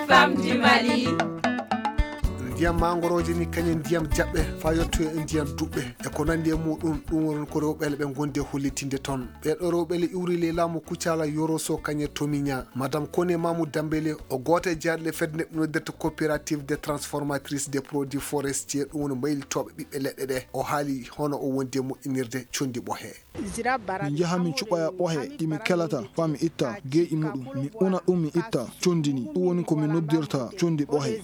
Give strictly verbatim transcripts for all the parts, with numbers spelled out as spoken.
Femmes du Mali. Ndiyam mangorooje ni kañe ndiyam jaɓɓe faa yottoya e ndiyam duɓɓe e ko nanndi e muɗum. Ɗum woni ko rewɓe ɓe ngondi e hollitinde toon. Ɓeeɗo rewɓe le iwri le laamu kucala yoroso kañe tomiña. Madame Kone Mamou Dambele o gooto e jeyaaɗo le fedde nde noddirta coopérative des transformatrices des produits forestiers, ɗum woni mbaylitooɓe ɓiɓɓe leɗɗe ɗe. O haali hono o wondi e moƴƴinirde conndi ɓohe. Mi njaha mi cuɓoya ɓohe ɗi mi kelata faa mi itta geeƴi muɗum, mi una ɗum mi itta conndi ni. Ɗum woni ko mi noddirta conndi ɓohe.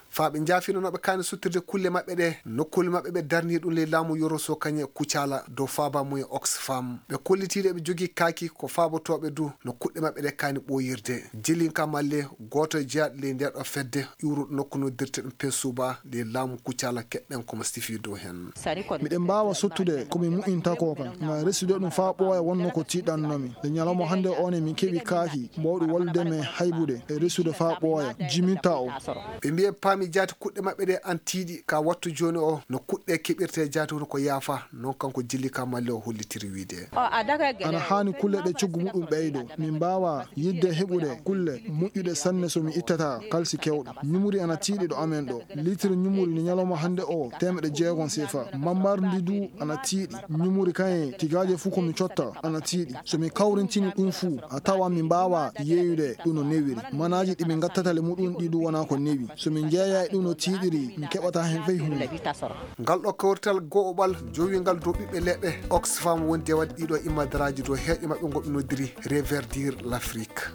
Faa ɓe njaafino no ɓe kaani suttirde kulle maɓɓe ɗe nokkuule maɓɓe ɓe darni ɗum ley laamu yoroso kañe kucala dow faaba mum e Oxfam. Ɓe kollitiiɗo eɓe jogii kaaki ko faabotooɓe du no kuɗɗe maɓɓe ɗe kaani ɓooyirde. Jilinka Malle gooto e jeyaaɗo ley ndeeɗo fedde iwruɗo nokku noddirte ɗum Pensuba ley laamu kucala, keɗɗen ko mo sifi dow heen. Miɗen mbaawa sottude ko mi mu'inta ko kan, ngam resude ɗum faa ɓooya wonno ko tiiɗannoomi. Nde ñalawma hannde o ne min keɓi kaaki mboowɗi wallude men haybude e resude faa ɓooya, jiminta o. Ɓe mbiye paami jaati kuɗɗe maɓɓe ɗe an tiiɗi ka wattu jooni o no kuɗɗe keɓirte jaati hono ko yaafa, noon kanko Jilika Malle o hollitiri wiide. Ana haani kulle ɗe coggu muɗum ɓeydo. Min mbaawa yiɗde heɓude kulle moƴƴuɗe sanne so mi ittata kalsi kewɗo. Ñumuri ana tiiɗi ɗo amen ɗo. Litre ñumuri ni ñalawma hannde o teemeɗe jeegom sefa. Mammardi du ana tiiɗi. Ñumuri kaye tigaaje fuu ko mi cotta ana tiiɗi. So mi kawrintini ɗum fuu a tawa min mbaawa yeeyude ɗum no newiri. Manaaji ɗi min ngattata le muɗum ɗi du wona ko newi. So min jeeya e ɗum no tiiɗiri mi keɓata heen fey huunde. Ngal ɗo kawrital go'oɓal jowingal dow ɓiɓɓe leɗɗe Oxfam wondi e waɗde ɗiɗo immadaraaji dow heeƴe maɓɓe ngo ɓe noddiri Reverdir l'Afrique.